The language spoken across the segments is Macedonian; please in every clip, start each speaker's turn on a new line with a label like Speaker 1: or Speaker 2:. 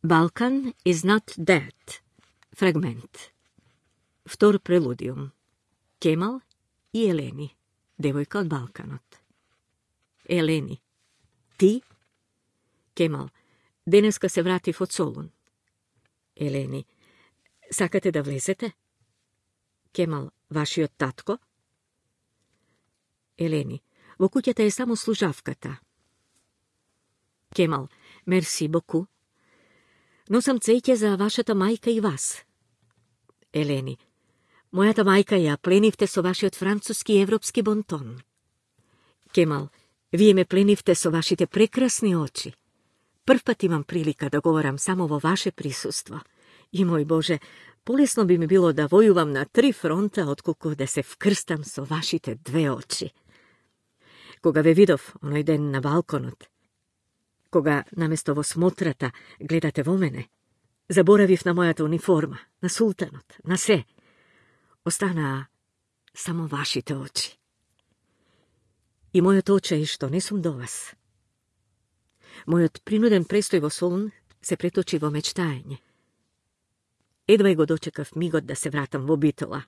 Speaker 1: Balkan is not dead. Fragment. Втор прелудиум. Кемал и Елени, девојка од Балканот. Елени. Ти? Кемал. Денеска се вратив од Солун. Елени. Сакате да влезете? Кемал. Вашиот татко? Елени. Во куќата е само служавката. Кемал. Мерси боку. Носам цеќе за вашата мајка и вас. Елени. Мојата мајка ја пленивте со вашиот француски и европски бонтон. Кемал. Вие ме пленивте со вашите прекрасни очи. Прв пат имам прилика да говорам само во ваше присуство. И, мој Боже, полесно би ми било да војувам на 3 фронта, отколку да се вкрстам со вашите 2 очи. Кога ве видов оној ден на балконот, кога наместо во смотрата гледате во мене, заборавив на мојата униформа, на султанот, на се. Останаа само вашите очи. И мојот очај што не сум до вас. Мојот принуден престој во Солун се преточи во мечтаење. Едва и го дочекав мигот да се вратам во Битола.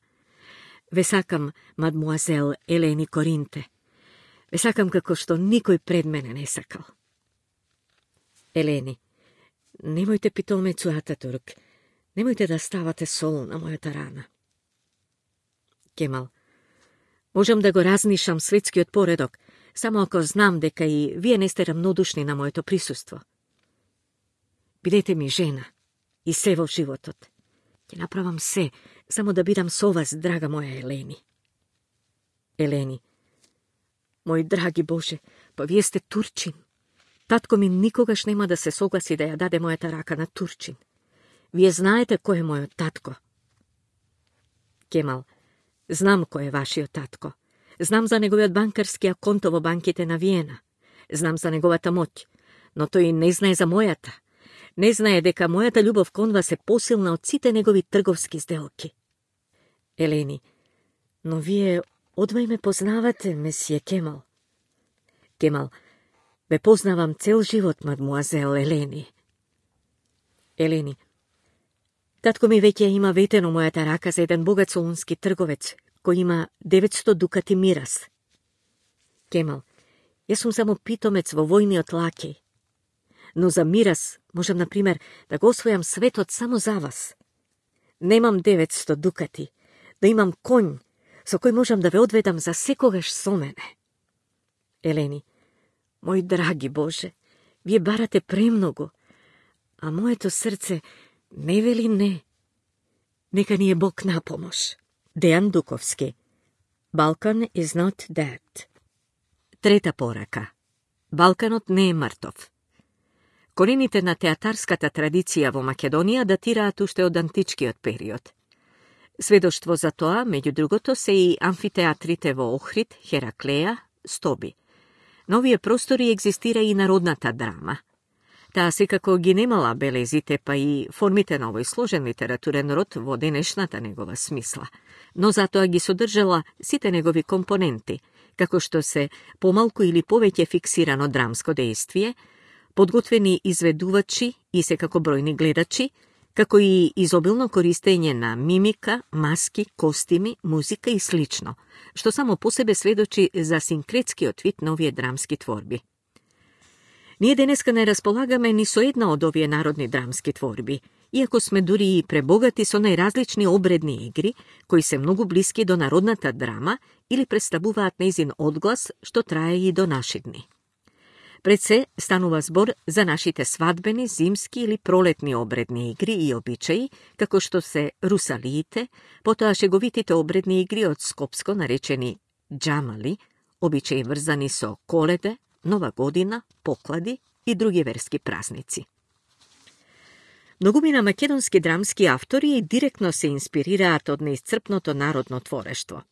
Speaker 1: Ве сакам, мадмуазел Елени Коринте. Ве сакам како што никој пред мене не сакал. Елени, немојте питомецу Ататурк, немојте да ставате сол на мојата рана. Кемал, можам да го разнишам светскиот поредок, само ако знам дека и вие не сте рамнодушни на моето присуство. Бидете ми жена и се во животот. Ќе направам се, само да бидам со вас, драга моја Елени. Елени, мој драги Боже, па вие сте турчин. Татко ми никогаш нема да се согласи да ја даде мојата рака на турчин. Вие знаете кој е мојот татко. Кемал, знам кој е вашиот татко. Знам за неговиот банкарски аконто во банките на Виена. Знам за неговата моќ, но тој не знае за мојата. Не знае дека мојата љубов кон вас е посилна од сите негови трговски сделки. Елени, но вие одвај ме познавате, месие Кемал. Кемал, ве познавам цел живот, мадмуазел Елени. Елени, татко ми веќе има ветено мојата рака за еден богат солунски трговец, кој има 900 дукати мирас. Кемал, јас сум само питомец во војниот лакеј. Но за мирас можам, например, да го освојам светот само за вас. Немам 900 дукати, да имам конј, со кој можам да ве одведам за секогаш со мене. Елени, мој драги Боже, вие барате премногу, а моето срце не вели не. Нека ни е Бог на помош. Дејан Дуковски. Balkan is not dead. Трета порака. Балканот не е мртов. Корените на театарската традиција во Македонија датираат уште од античкиот период. Сведоштво за тоа, меѓу другото, се и амфитеатрите во Охрид, Хераклеја, Стоби. На овие простори екзистира и народната драма. Таа секако ги немала белезите, па и формите на овој сложен литературен род во денешната негова смисла, но затоа ги содржала сите негови компоненти, како што се помалку или повеќе фиксирано драмско дејствие, подготвени изведувачи и секако бројни гледачи, како и изобилно користење на мимика, маски, костими, музика и слично, што само по себе сведочи за синкретскиот вид на овие драмски творби. Ние денеска не располагаме ни со една од овие народни драмски творби, иако сме дури и пребогати со најразлични обредни игри, кои се многу блиски до народната драма или представуваат нејзин одглас, што трае и до наши дни. Пред се станува збор за нашите свадбени, зимски или пролетни обредни игри и обичаи, како што се русалиите, потоа шеговитите обредни игри од Скопско наречени џамали, обичаи врзани со Коледе, Нова година, поклади и други верски празници. Многумина македонски драмски автори директно се инспирираат од неисцрпното народно творештво.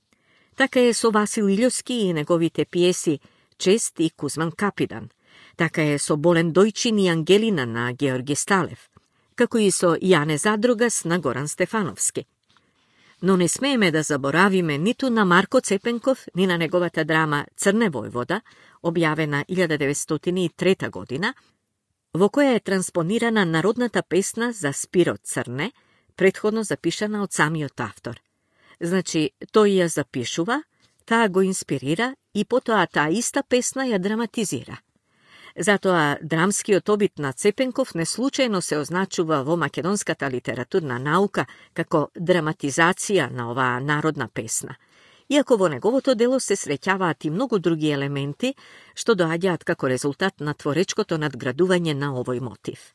Speaker 1: Така е со Васил Илјовски и неговите пиеси Чест и Кузман Капидан. Така е со Болен Дојчин и Ангелина на Георги Сталев, како и со Јане Задрогас на Горан Стефановски. Но не смееме да заборавиме ниту на Марко Цепенков, ни на неговата драма Црне војвода, објавена 1903 година, во која е транспонирана народната песна за Спиро Црне, претходно запишана од самиот автор. Значи, тој ја запишува, таа го инспирира и потоа таа иста песна ја драматизира. Затоа драмскиот обид на Цепенков неслучајно се означува во македонската литературна наука како драматизација на оваа народна песна, иако во неговото дело се среќаваат и многу други елементи што доаѓаат како резултат на творечкото надградување на овој мотив.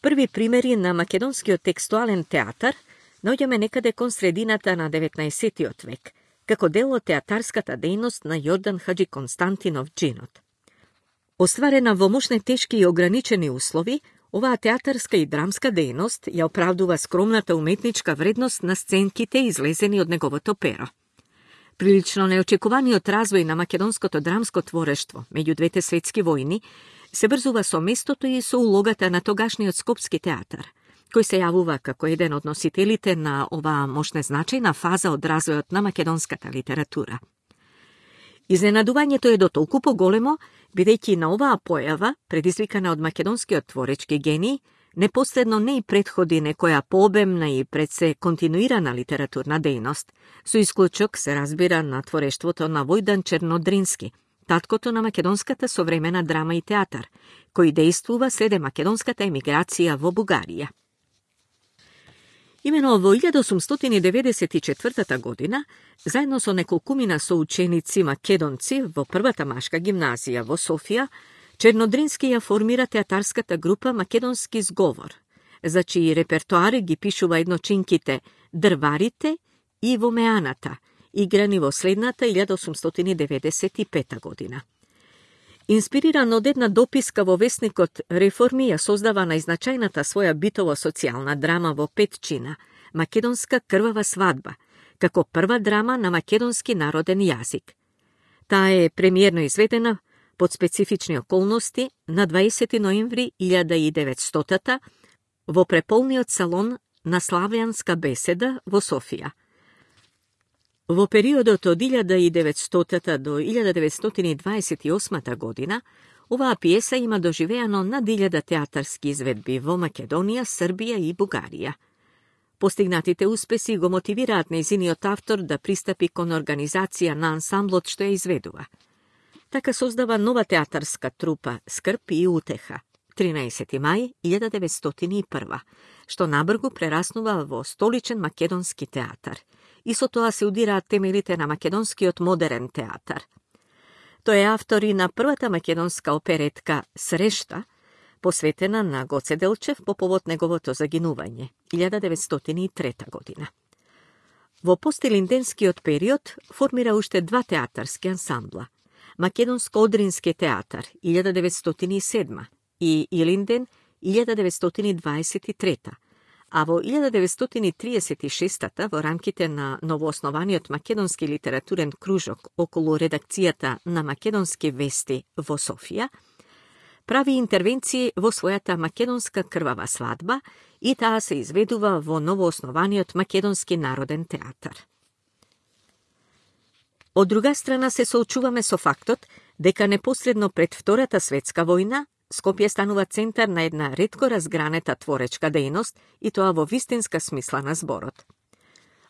Speaker 1: Први примери на македонскиот текстуален театар наоѓаме некаде кон средината на 19. век, како дел од театарската дејност на Јордан Хаджи Константинов Джинот. Остварена во мошне тешки и ограничени услови, оваа театарска и драмска дејност ја оправдува скромната уметничка вредност на сценките излезени од неговото перо. Прилично неочекуваниот развој на македонското драмско творештво меѓу двете светски војни се врзува со местото и со улогата на тогашниот Скопски театар, кој се јавува како еден од носителите на оваа мошне значајна фаза од развојот на македонската литература. Изненадувањето е дотолку поголемо, бидејќи на оваа појава, предизвикана од македонскиот творечки гений, непосредно не и претходи некоја пообемна и пред се континуирана литературна дејност, со исклучок се разбира на творештвото на Војдан Чернодрински, таткото на македонската современа драма и театар, кој дејствува следе македонската емиграција во Бугарија. Имено во 1894 година, заедно со неколкумина соученици македонци во првата машка гимназија во Софија, Чернодрински ја формира театарската група Македонски зговор, за чиј репертоар ги пишува едночинките Дрварите и Вомеаната, играни во следната 1895 година. Инспириран од една дописка во весникот Реформи, ја создава најзначајната своја битово-социјална драма во 5 чина, Македонска крвава свадба, како прва драма на македонски народен јазик. Таа е премиерно изведена под специфични околности на 20 ноември 1900 во преполниот салон на Славјанска беседа во Софија. Во периодот од 1900 до 1928 година, оваа пиеса има доживеано над 1000 театарски изведби во Македонија, Србија и Бугарија. Постигнатите успеси го мотивираат нејзиниот автор да пристапи кон организација на ансамблот што ја изведува. Така создава нова театарска трупа Скрп и утеха, 13. мај 1901, што набргу прераснува во столичен македонски театар, и со тоа се удираат темелите на македонскиот модерен театар. Тој е автор и на првата македонска оперетка Срешта, посветена на Гоце Делчев по повод неговото загинување, 1903 година. Во постилинденскиот период формира уште два театарски ансамбла – Македонско-Одрински театар, 1907 и Илинден, 1923, а во 1936 во рамките на новооснованиот македонски литературен кружок околу редакцијата на Македонски вести во Софија, прави интервенции во својата Македонска крвава свадба и таа се изведува во новооснованиот Македонски народен театар. Од друга страна се соочуваме со фактот дека непосредно пред Втората светска војна Скопје станува центар на една ретко разгранета творечка дејност и тоа во вистинска смисла на зборот.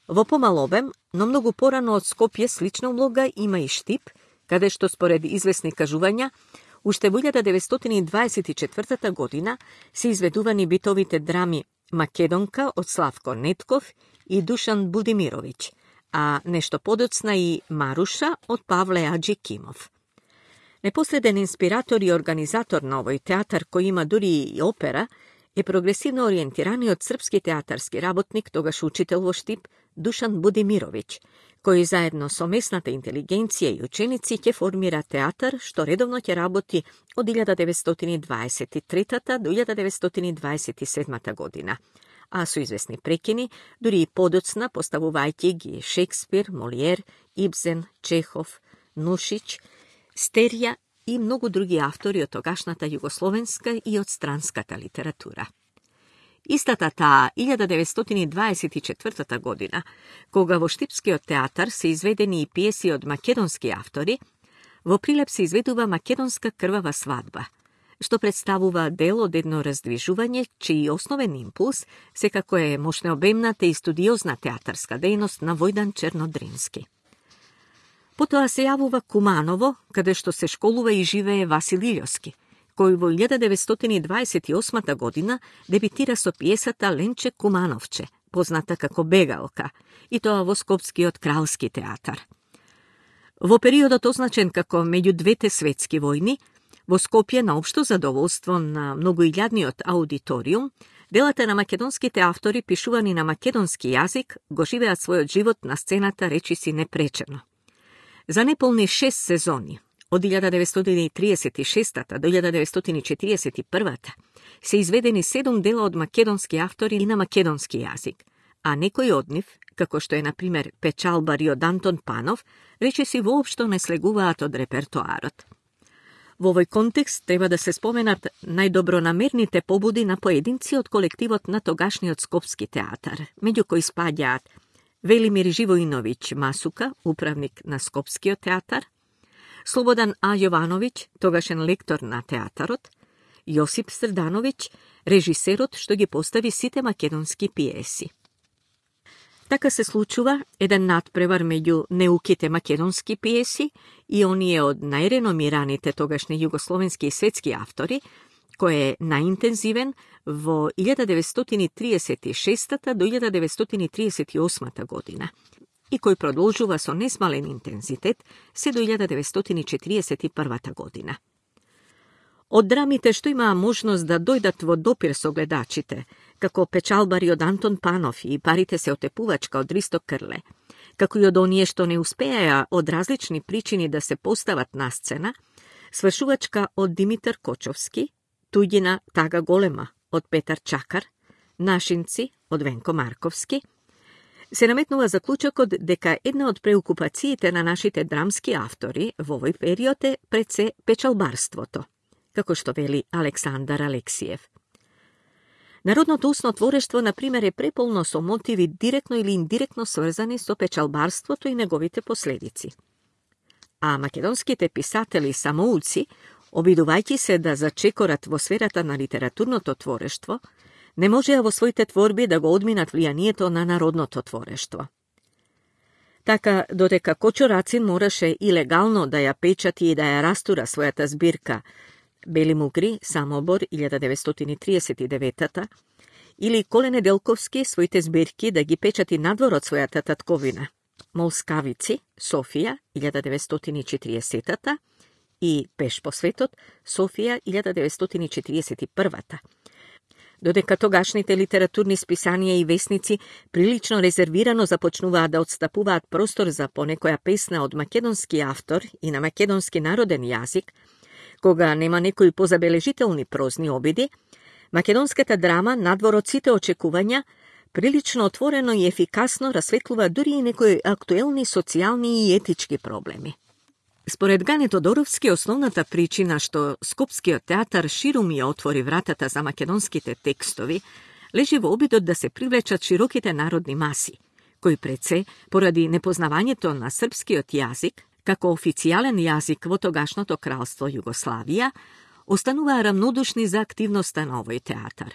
Speaker 1: Во помал обем, но многу порано од Скопје слична улога има и Штип, каде што според известни кажувања, уште во 1924 година се изведувани битовите драми Македонка од Славко Нетков и Душан Будимировиќ, а нешто подоцна и Маруша од Павле Аџи Кимов. Непосреден инспиратор и организатор на овој театар, кој има дури и опера, е прогресивно ориентираниот српски театарски работник, тогаш учител во Штип, Душан Будимировиќ, кој заедно со местната интелигенција и ученици ќе формира театар, што редовно ќе работи од 1923 до 1927 година, а со известни прекини, дури и подоцна поставувајќи ги Шекспир, Молиер, Ибсен, Чехов, Нушиć, Стерија и многу други автори од тогашната југословенска и од странската литература. Истата таа 1924 година, кога во Штипскиот театар се изведени и пиеси од македонски автори, во Прилеп се изведува Македонска крвава свадба, што представува дел од едно раздвижување, чиј основен импулс секако е мощнеобемната и студиозна театарска дејност на Војдан Чернодрински. Потоа се јавува Куманово, каде што се школува и живее Васил Илјовски, кој во 1928 година дебитира со пиесата Ленче Кумановче, позната како Бегалка, и тоа во Скопскиот кралски театар. Во периодот означен како меѓу двете светски војни, во Скопје на општо задоволство на многоилјадниот аудиториум, делата на македонските автори пишувани на македонски јазик го живеат својот живот на сцената речиси непречено. За неполни 6 сезони, од 1936 до 1941 се изведени 7 дела од македонски автори и на македонски јазик, а некои од нив, како што е, например, Печалбари од Антон Панов, речиси воопшто не слегуваат од репертоарот. Во овој контекст треба да се споменат најдобронамерните побуди на поединци од колективот на тогашниот Скопски театар, меѓу кои спаѓаат Велимир Живоиновиќ Масука, управник на Скопскиот театар, Слободан А. Јовановиќ, тогашен лектор на театарот, Јосип Срдановиќ, режисерот што ги постави сите македонски пиеси. Така се случува еден надпревар меѓу неуките македонски пиеси и оние од најреномираните тогашни југословенски и светски автори, кој е најинтензивен во 1936 до 1938 година и кој продолжува со несмален интензитет се до 1941 година. Од драмите што имаа можност да дојдат во допир со гледачите, како Печалбари од Антон Панов и Парите се отепувачка од Ристо Крле, како и од оние што не успеа од различни причини да се постават на сцена, Свршувачка од Димитар Кочовски, Туѓина Тага голема од Петар Чакар, Нашинци од Венко Марковски, се наметнува заклучокот дека една од преокупациите на нашите драмски автори во овој период е пред се печалбарството, како што вели Александар Алексиев. Народното устно творештво, например, е преполно со мотиви директно или индиректно сврзани со печалбарството и неговите последици. А македонските писатели самоуци, обидувајќи се да зачекорат во сферата на литературното творештво, не можеа во своите творби да го одминат влијанието на народното творештво. Така, додека Кочо Рацин мораше и легално да ја печати и да ја растура својата збирка Бели мугри, Самобор, 1939 или Коле Неделковски своите збирки да ги печати надвор од својата татковина, Молскавици, Софија, 1940 и Пеш по светот, Софија, 1941 Додека тогашните литературни списанија и весници прилично резервирано започнуваат да отстапуваат простор за понекоја песна од македонски автор и на македонски народен јазик, кога нема некои позабележителни прозни обиди, македонската драма, надвор од сите очекувања, прилично отворено и ефикасно расветлува дури и некои актуелни социјални и етички проблеми. Според Гане Тодоровски, основната причина што Скопскиот театар ширум ја отвори вратата за македонските текстови, лежи во обидот да се привлечат широките народни маси, кои пред се, поради непознавањето на српскиот јазик, како официјален јазик во тогашното кралство Југославија, остануваа рамнодушни за активноста на овој театар.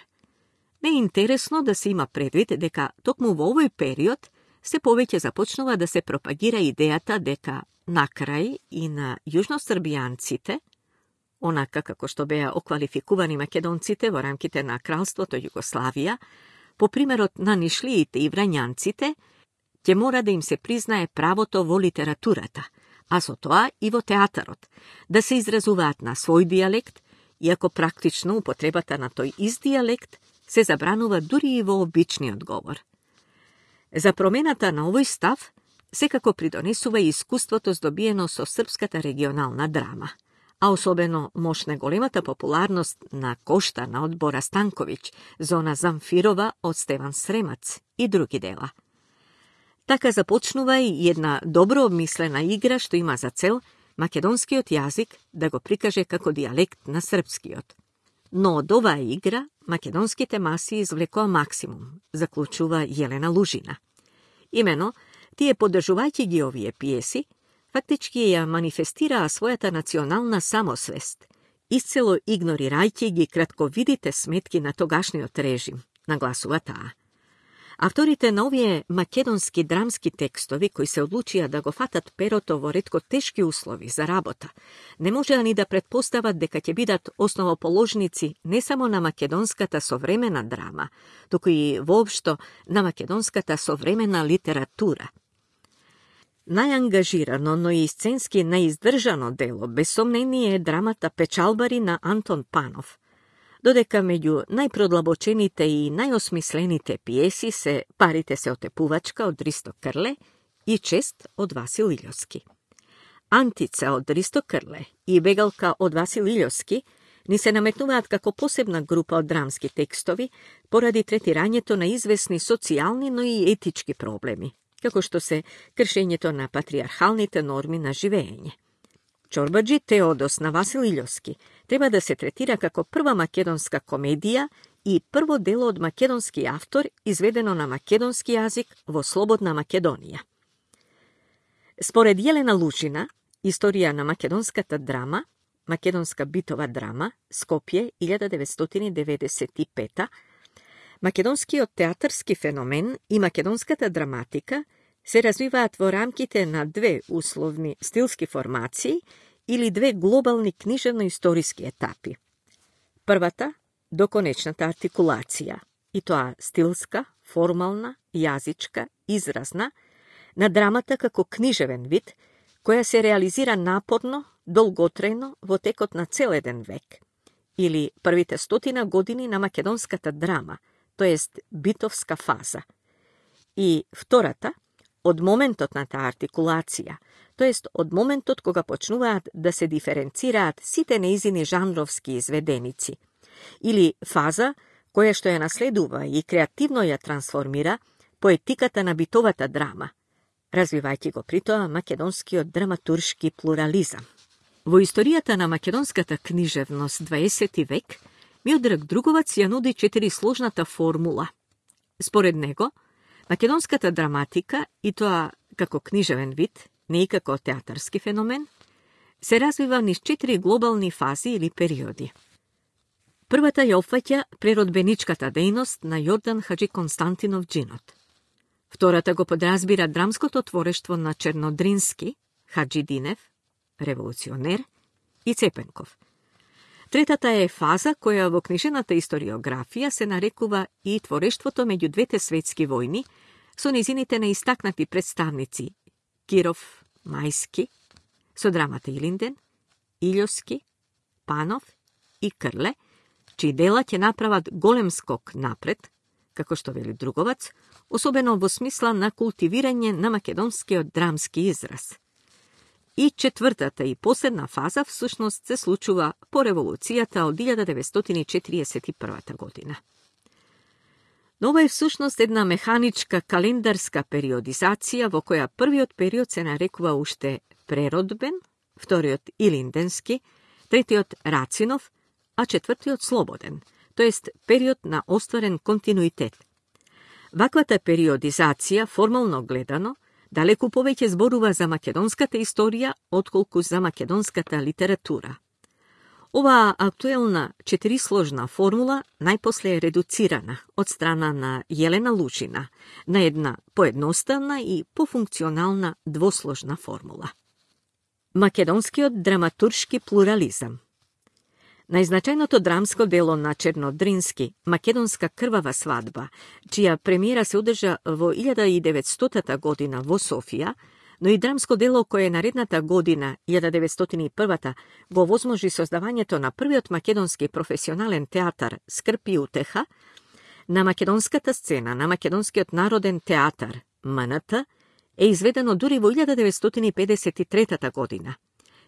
Speaker 1: Не е интересно да се има предвид дека токму во овој период се повеќе започнува да се пропагира идејата дека на крај и на јужносрбијанците, онака како што беа оквалификувани македонците во рамките на кралството Југославија, по примерот на нишлиите и врањанците, ќе мора да им се признае правото во литературата, а со тоа и во театарот, да се изразуваат на свој дијалект, иако практично употребата на тој ист дијалект се забранува дури и во обичниот говор. За промената на овој став секако придонесува и искуството здобиено со српската регионална драма, а особено мощна големата популарност на Кошта на Одбора Станковиќ, Зона Замфирова од Стеван Сремац и други дела. Така започнува и една добро обмислена игра што има за цел македонскиот јазик да го прикаже како дијалект на српскиот. Но од оваа игра македонските маси извлекоа максимум, заклучува Јелена Лужина. Имено, тие поддржувајќи ги овие пиеси, фактички ја манифестираа својата национална самосвест исцело игнорирајќи ги кратковидите сметки на тогашниот режим, нагласува таа. Авторите на овие македонски драмски текстови, кои се одлучија да го фатат перото во ретко тешки услови за работа, не можеа ни да претпостават дека ќе бидат основоположници не само на македонската современа драма, туку и воопшто на македонската современа литература. Најангажирано, но и сценски наиздржано дело, без сомнение, е драмата Печалбари на Антон Панов, додека меѓу најпродлабочените и најосмислените пиеси се Парите се отепувачка од Ристо Крле и Чест од Васил Илјовски. Антица од Ристо Крле и Бегалка од Васил Илјовски ни се наметнуваат како посебна група од драмски текстови поради третирањето на известни социјални, но и етички проблеми, како што се кршењето на патриархалните норми на живење. Чорбаджи Теодос на Васил Илјовски треба да се третира како прва македонска комедија и прво дело од македонски автор изведено на македонски јазик во слободна Македонија. Според Јелена Лужина, Историја на македонската драма, македонска битова драма, Скопје, 1995, македонскиот театарски феномен и македонската драматика се развиваат во рамките на две условни стилски формации или две глобални книжевно-историски етапи. Првата, до конечната артикулација, и тоа стилска, формална, јазичка, изразна, на драмата како книжевен вид, која се реализира напорно, долготрајно во текот на цел еден век, или првите 100 години на македонската драма, тоест битовска фаза. И втората, од моментот на таа артикулација, тоест од моментот кога почнуваат да се диференцираат сите неизини жанровски изведеници, или фаза која што ја наследува и креативно ја трансформира поетиката на битовата драма, развивајќи го притоа македонскиот драматуршки плурализам. Во историјата на македонската книжевност 20 век, Миодраг Друговац ја нуди 4-сложната формула. Според него, македонската драматика, и тоа како книжевен вид, не и како театарски феномен, се развива низ 4 глобални фази или периоди. Првата ја опфаќа преродбеничката дејност на Јордан Хаджи Константинов Джинот. Втората го подразбира драмското творештво на Чернодрински, Хаджи Динев, револуционер, и Цепенков. Третата е фаза која во книжената историографија се нарекува и творештвото меѓу двете светски војни со низините неистакнати представници Киров, Мајски, со драмата Илинден, Илјовски, Панов и Крле, чии дела ќе направат голем скок напред, како што вели Друговац, особено во смисла на култивирање на македонскиот драмски израз. И четвртата и последна фаза всушност се случува по револуцијата од 1941 година. Но ова е всушност една механичка календарска периодизација во која првиот период се нарекува уште преродбен, вториот Илинденски, третиот Рацинов, а четвртиот Слободен, тоест период на остварен континуитет. Ваквата периодизација, формално гледано, далеку повеќе зборува за македонската историја, отколку за македонската литература. Оваа актуелна 4-сложна формула најпосле е редуцирана од страна на Јелена Лужина на една поедноставна и пофункционална двосложна формула. Македонскиот драматуршки плурализам. Најзначајното драмско дело на Чернодрински, Македонска крвава свадба, чија премиера се одржа во 1900 година во Софија, но и драмско дело кое наредната година, 1901, го возможи создавањето на првиот македонски професионален театар Скрп и утеха, на македонската сцена на Македонскиот народен театар, МНТ, е изведено дури во 1953 година.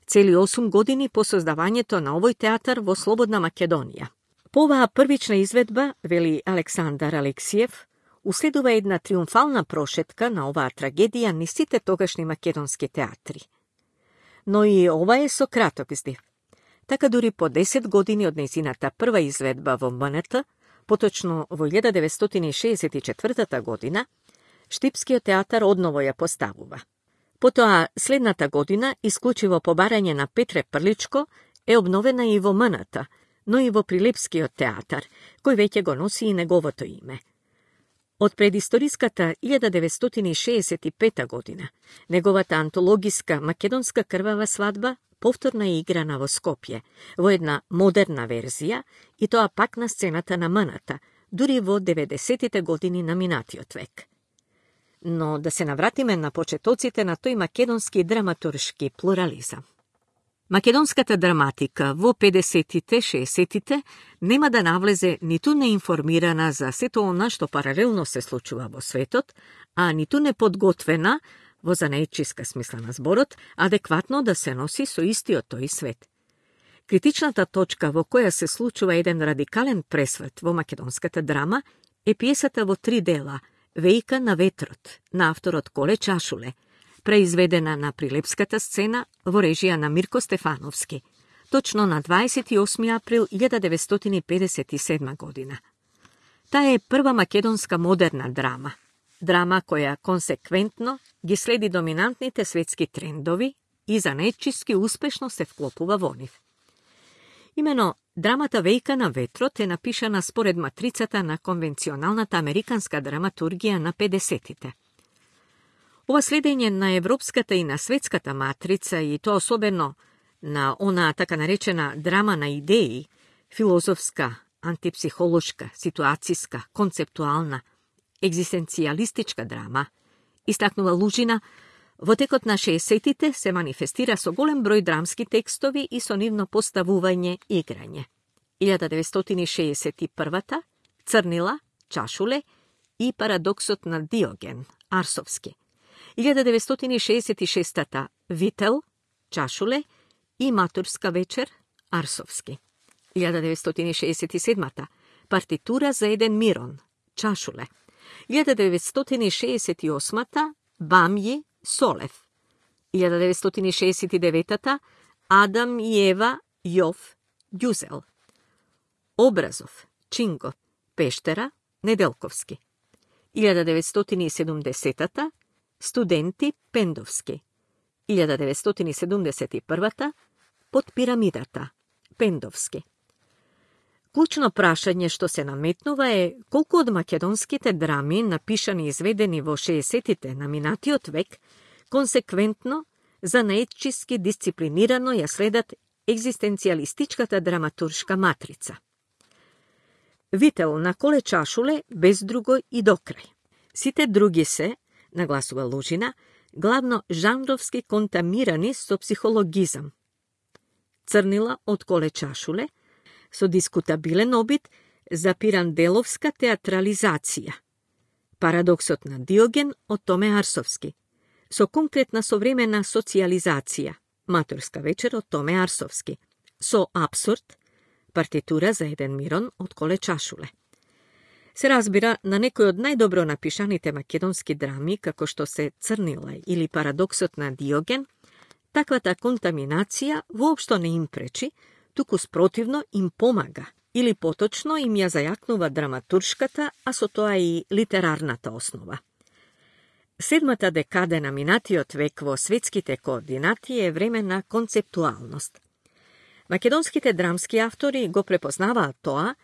Speaker 1: Цели 8 години по создавањето на овој театар во Слободна Македонија. По оваа првична изведба, вели Александар Алексиев, уследува една триумфална прошетка на оваа трагедија низ сите тогашни македонски театри. Но и ова е со краток здив. Така дури по 10 години од нејзината прва изведба во МНТ, поточно во 1964 година, Штипскиот театар одново ја поставува. Потоа, следната година, исклучиво по барање на Петре Прличко, е обновена и во МНТ, но и во Прилепскиот театар, кој веќе го носи и неговото име. Од предисториската 1965 година, неговата антологиска македонска крвава свадба повторно е играна во Скопје, во една модерна верзија, и тоа пак на сцената на МНТ, дури во 90-тите години на минатиот век. Но да се навратиме на почетоците на тој македонски драматуршки плурализам. Македонската драматика во 50-тите, 60-тите нема да навлезе ниту неинформирана за сето она што паралелно се случува во светот, а ниту неподготвена, во занаетчиска смисла на зборот, адекватно да се носи со истиот тој свет. Критичната точка во која се случува еден радикален пресврт во македонската драма е пиесата во 3 дела «Вејка на ветрот» на авторот Коле Чашуле, преизведена на Прилепската сцена во режија на Мирко Стефановски, точно на 28. април 1957 година. Таа е прва македонска модерна драма, драма која консеквентно ги следи доминантните светски трендови и занаетчиски успешно се вклопува во нив. Имено, драмата «Вејка на ветрот» е напишана според матрицата на конвенционалната американска драматургија на 50-тите. Ова следење на европската и на светската матрица, и тоа особено на она така наречена драма на идеи, филозофска, антипсихолошка, ситуацијска, концептуална, екзистенцијалистичка драма, истакнува Лужина, во текот на 60-тите се манифестира со голем број драмски текстови и со нивно поставување и играње. 1961-та Црнила, Чашуле и Парадоксот на Диоген, Арсовски. 1966-та Вител, Чашуле и Матурска вечер, Арсовски. 1967-та Партитура за еден Мирон, Чашуле. 1968-та Бамји, Солев. 1969-та Адам и Ева, Јов, Ѓузел. Образов, Чинго, Пештера, Неделковски. 1970-та Студенти, Пендовски. 1971-та Под пирамидата, Пендовски. Клучно прашање што се наметнува е колку од македонските драми, напишани и изведени во 60-тите на минатиот век, консеквентно, занаетчиски дисциплинирано ја следат екзистенцијалистичката драматуршка матрица. Вител на Коле Чашуле без друго и докрај. Сите други се, нагласува Лужина, главно жанровски контамирани со психологизам. Црнила од Коле Чашуле, со дискутабилен обид за пиранделовска театрализација. Парадоксот на Диоген од Томе Арсовски, со конкретна современа социализација. Матурска вечер од Томе Арсовски, со абсурд, партитура за еден Мирон од Коле Чашуле. Се разбира, на некој од најдобро напишаните македонски драми, како што се Црнила или Парадоксот на Диоген, таквата контаминација воопшто не им пречи, туку спротивно им помага, или поточно им ја зајакнува драматуршката, а со тоа и литерарната основа. Седмата декада на минатиот век во светските координати е време на концептуалност. Македонските драмски автори го препознаваат тоа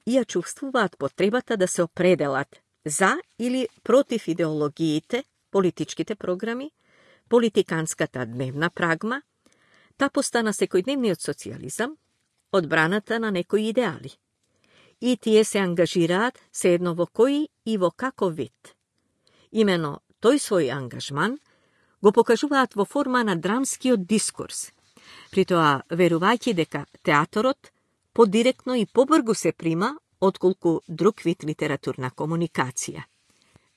Speaker 1: и ја чувствуваат потребата да се определат за или против идеологиите, политичките програми, политиканската дневна прагма, тапоста на секојдневниот социализам, одбраната на некои идеали. И тие се ангажираат се едно во кој и во каков вид. Имено тој свој ангажман го покажуваат во форма на драмскиот дискурс, при тоа верувајќи дека театарот подиректно и побргу се прима отколку друг вид литературна комуникација.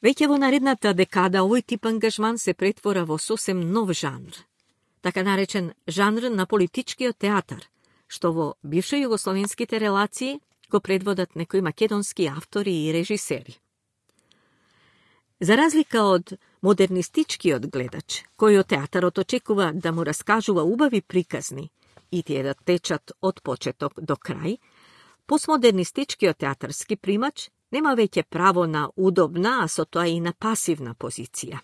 Speaker 1: Веќе во наредната декада овој тип ангажман се претвора во сосем нов жанр, така наречен жанр на политичкиот театар, што во бившо југословенските релации го предводат некои македонски автори и режисери. За разлика од модернистичкиот гледач, кој од театарот очекува да му раскажува убави приказни и тие да течат од почеток до крај, постмодернистичкиот театарски примач нема веќе право на удобна, а со тоа и на пасивна позиција.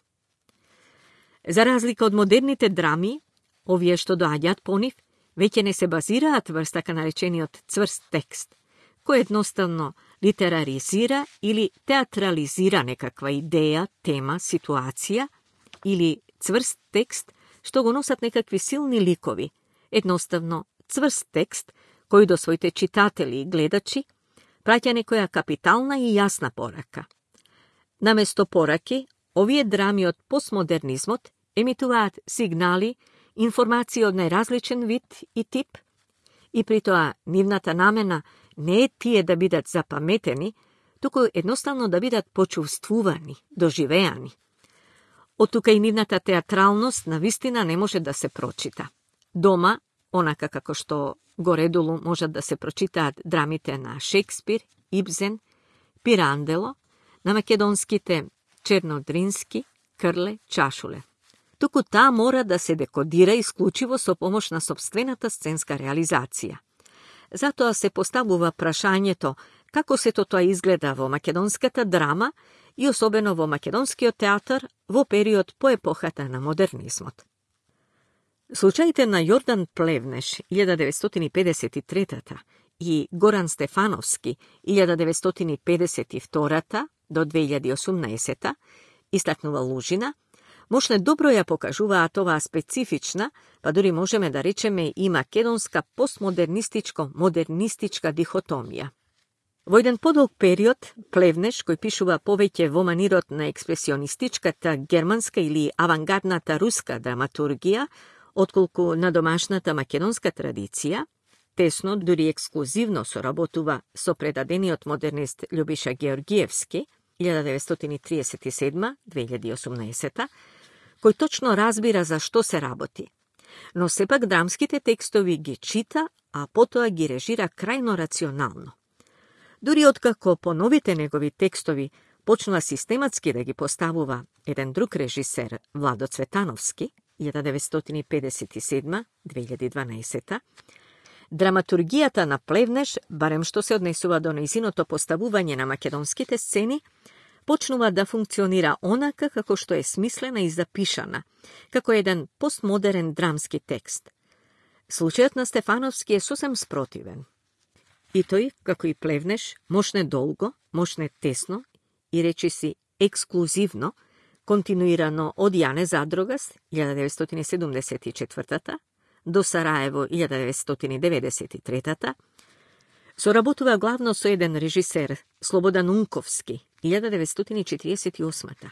Speaker 1: За разлика од модерните драми, овие што доаѓаат по нив, веќе не се базираат врз така наречениот цврст текст, кој едноставно литераризира или театрализира некаква идеја, тема, ситуација, или цврст текст што го носат некакви силни ликови, едноставно цврст текст кој до своите читатели и гледачи праќа некоја капитална и јасна порака. Наместо пораки, овие драми од постмодернизмот емитуваат сигнали, информации од најразличен вид и тип, и при тоа нивната намена не е тие да бидат запаметени, туку едноставно да бидат почувствувани, доживеани. Од тука и нивната театралност навистина не може да се прочита. Дома, онака како што горедолу можат да се прочитаат драмите на Шекспир, Ибсен, Пирандело, на македонските Чернодрински, Крле, Чашуле. Туку таа мора да се декодира исклучиво со помош на собствената сценска реализација. Затоа се поставува прашањето како сето тоа изгледа во македонската драма и особено во македонскиот театар во период по епохата на модернизмот. Случаите на Јордан Плевнеш 1953 и Горан Стефановски 1952 до 2018, истакнува Лужина, можне добро ја покажуваат оваа специфична, па дури можеме да речеме и македонска постмодернистичко-модернистичка дихотомија. Во еден подолг период, Плевнеш, кој пишува повеќе во манирот на експресионистичката германска или авангардната руска драматургија, отколку на домашната македонска традиција, тесно, дури ексклузивно соработува со предадениот модернист Љубиша Георгиевски, 1937-2018, кој точно разбира за што се работи. Но сепак драмските текстови ги чита, а потоа ги режира крајно рационално. Дури откако по новите негови текстови почнува систематски да ги поставува еден друг режисер, Владо Цветановски, 1957-2012, драматургијата на Плевнеш, барем што се однесува до нејзиното поставување на македонските сцени, почнува да функционира онака како што е смислена и запишана, како еден постмодерен драмски текст. Случајот на Стефановски е сосем спротивен. И тој, како и Плевнеш, мошне долго, мошне тесно и речиси ексклузивно, континуирано од Јане Задрогас 1974 до Сараево 1993, соработува главно со еден режисер, Слободан Унковски, 1948.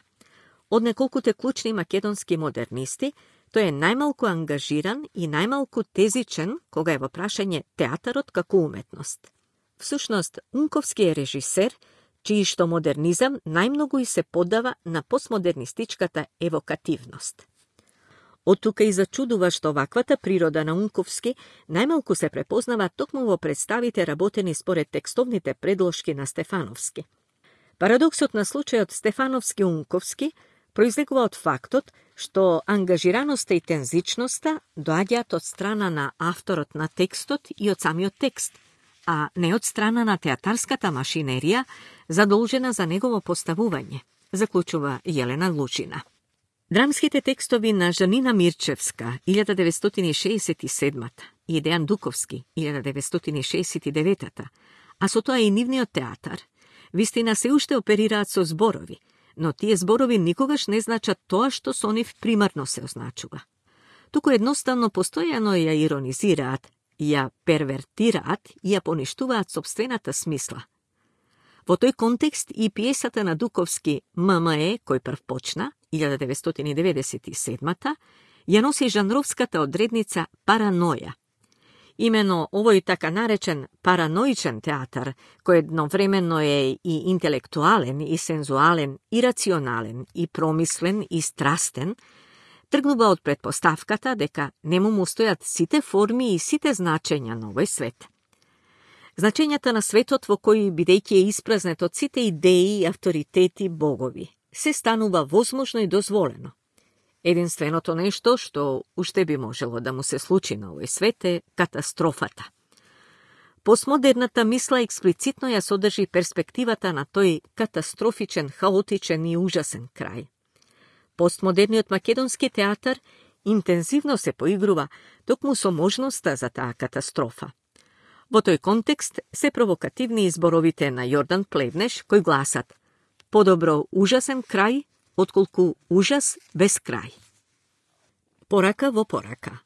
Speaker 1: Од неколкуте клучни македонски модернисти, тој е најмалку ангажиран и најмалку тезичен кога е во прашање театарот како уметност. Всушност, Унковски е режисер, чиј што модернизам најмногу и се поддава на постмодернистичката евокативност. Од тука и зачудува што ваквата природа на Унковски најмалку се препознава токму во представите работени според текстовните предложки на Стефановски. Парадоксот на случајот Стефановски-Унковски произлегува од фактот што ангажираноста и тензичноста доаѓаат од страна на авторот на текстот и од самиот текст, а не од страна на театарската машинерија задолжена за негово поставување, заклучува Јелена Лучина. Драмските текстови на Жанина Мирчевска 1967 и Дејан Дуковски 1969, а со тоа и нивниот театар, вистина се уште оперираат со зборови, но тие зборови никогаш не значат тоа што со нив примарно се означува. Туку едноставно постојано ја иронизираат, ја первертираат и ја поништуваат собствената смисла. Во тој контекст и пиесата на Дуковски ММЕ, кој прв почна, 1997, ја носи жанровската одредница параноја. Имено овој така наречен параноичен театар, кој едновременно е и интелектуален, и сензуален, и рационален, и промислен, и страстен, тргнува од предпоставката дека нему му стојат сите форми и сите значења на овој свет. Значењата на светот во кој, бидејќи е испразнет од сите идеи, авторитети, богови, се станува возможно и дозволено. Единственото нешто што уште би можело да му се случи на овој свет е катастрофата. Постмодерната мисла експлицитно ја содржи перспективата на тој катастрофичен, хаотичен и ужасен крај. Постмодерниот македонски театар интензивно се поигрува токму со можноста за таа катастрофа. Во тој контекст се провокативни изборовите на Јордан Плевнеш, кои гласат: подобро ужасен крај, отколку ужас без крај. Порака во порака.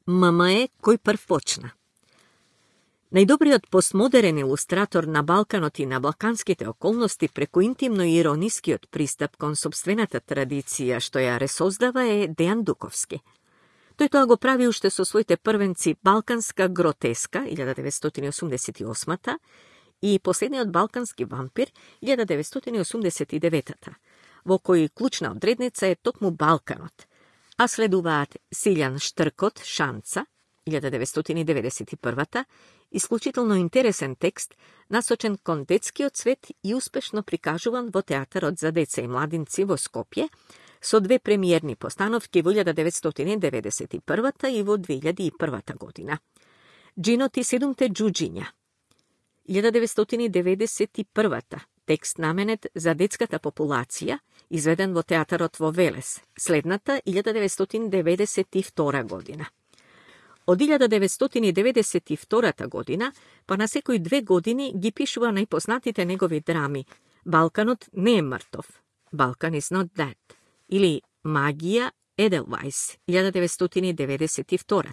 Speaker 1: ММЕ кој прв почна. Најдобриот постмодерен илустратор на Балканот и на балканските околности преку интимно и иронискиот пристап кон сопствената традиција што ја ресоздава е Дејан Дуковски. Тој тоа го прави уште со своите првенци Балканска гротеска 1988 и Последниот балкански вампир 1989, во кој клучна одредница е токму Балканот, а следуваат Силјан Штркот Шанца 1991, исклучително интересен текст, насочен кон детскиот свет и успешно прикажуван во театарот за деца и младинци во Скопје, со две премиерни постановки во 1991 и во 2001 година. Джинот и седумте джуджиња 1991, текст наменет за детската популација, изведен во театарот во Велес, следната 1992 година. Од 1992 година, па на секои 2 години ги пишува најпознатите негови драми Балканот не е мртов, Balkan is not dead, или Магија Еделвајс 1992,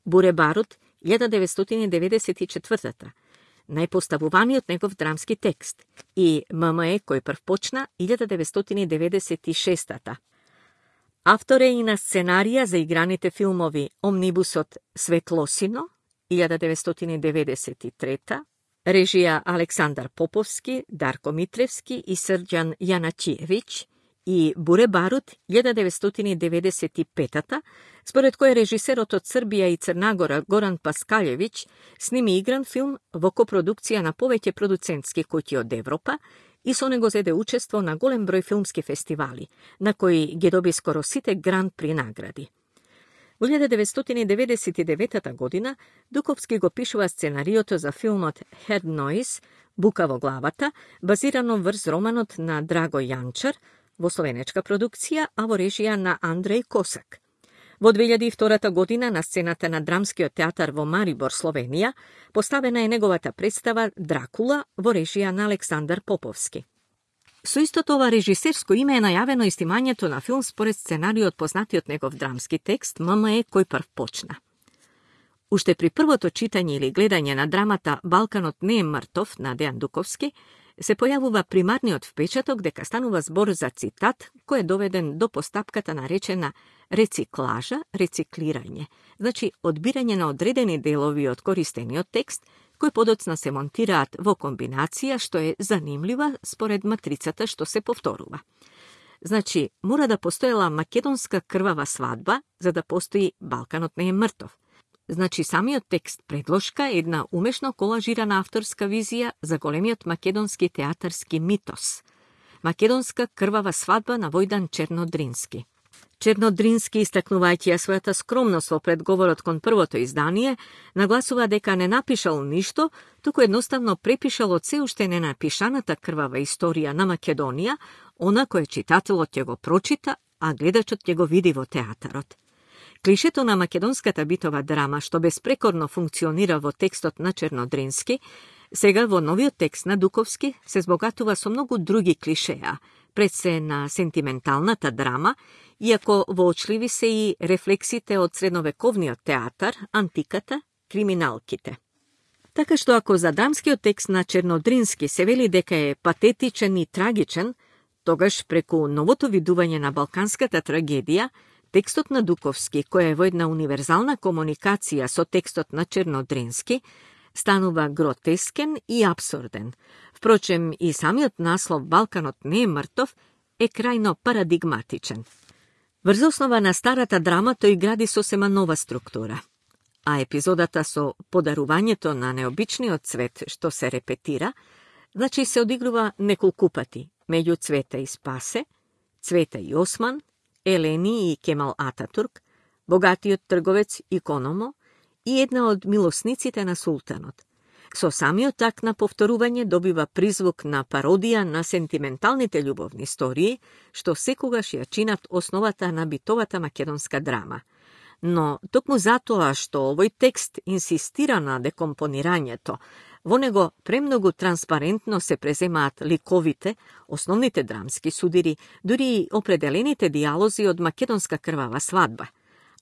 Speaker 1: Буребарут 1994, најпоставуваниот негов драмски текст, и ММЕ кој прв почна 1996. Автор е и на сценарија за играните филмови Омнибусот Светлосино 1993, режија Александар Поповски, Дарко Митревски и Срđan Јаначиевиќ, и Буребарут 1995, според кој режисерот од Србија и Црнагора Горан Паскалевиќ сними игран филм во копродукција на повеќе продуцентски куќи од Европа и со него зеде учество на голем број филмски фестивали, на кои ги доби скоро сите гран при награди. Во 1999 година Дуковски го пишува сценариото за филмот Head Noise, Бука во главата, базирано врз романот на Драго Јанчар, во словенечка продукција, а во режија на Андреј Косак. Во 2002 година на сцената на Драмскиот театар во Марибор, Словенија, поставена е неговата представа Дракула во режија на Александар Поповски. Со истото ова режисерско име е најавено и снимањето на филм според сценариот познатиот негов драмски текст ММЕ кој прв почна. Уште при првото читање или гледање на драмата Балканот не е мртов на Дејан Дуковски, се појавува примарниот впечаток дека станува збор за цитат кој е доведен до постапката наречена рециклажа, рециклирање, значи одбирање на одредени делови од користениот текст, кои подоцна се монтираат во комбинација што е занимлива според матрицата што се повторува. Значи, мора да постоела македонска крвава свадба за да постои Балканот не е мртов. Значи, самиот текст предложка е една умешно колажирана авторска визија за големиот македонски театарски митос. Македонска крвава свадба на Војдан Чернодрински. Чернодрински, истакнувајќи ја својата скромност во предговорот кон првото издание, нагласува дека не напишал ништо, туку едноставно препишал од се уште ненапишаната крвава историја на Македонија, она кој читателот ќе го прочита, а гледачот ќе го види во театарот. Клишето на македонската битова драма, што безпрекорно функционира во текстот на Чернодрински, сега во новиот текст на Дуковски се збогатува со многу други клишеа, пред се на сентименталната драма, иако воочливи се и рефлексите од средновековниот театар, антиката, криминалките. Така што ако за драмскиот текст на Чернодрински се вели дека е патетичен и трагичен, тогаш преку новото видување на балканската трагедија, текстот на Дуковски, кој е во една универзална комуникација со текстот на Чернодрински, станува гротескен и абсурден. Впрочем, и самиот наслов Балканот не е мртов е крајно парадигматичен. Врз основа на старата драма тој гради сосема нова структура, а епизодата со подарувањето на необичниот цвет што се репетира, значи се одигрува неколку пати меѓу Цвета и Спасе, Цвета и Осман, Елени и Кемал Ататурк, богатиот трговец Икономо и една од милосниците на султанот. Со самиот акт на повторување добива призвук на пародија на сентименталните љубовни истории, што секогаш ја чинат основата на битовата македонска драма. Но токму затоа што овој текст инсистира на декомпонирањето, во него премногу транспарентно се преземаат ликовите, основните драмски судири, дури и определените диалози од македонска крвава свадба,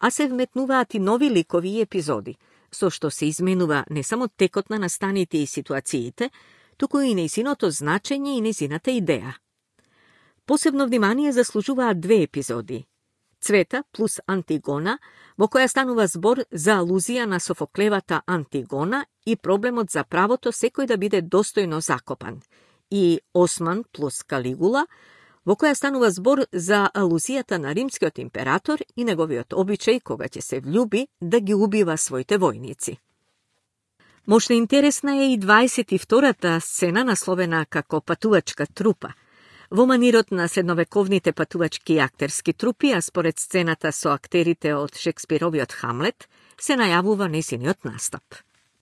Speaker 1: а се вметнуваат и нови ликови и епизоди, со што се изменува не само текот на настаните и ситуациите, туку и нејзиното значење и нејзината идеја. Посебно внимание заслужуваат две епизоди. Цвета плюс Антигона, во која станува збор за алузија на Софоклевата Антигона и проблемот за правото секој да биде достојно закопан, и Осман плюс Калигула, во која станува збор за алузијата на римскиот император и неговиот обичај кога ќе се влюби да ги убива своите војници. Можна интересна е и 22-та сцена насловена како патувачка трупа, во манирот на средновековните патувачки актерски трупи, а според сцената со актерите од Шекспировиот Хамлет, се најавува нејзиниот настап.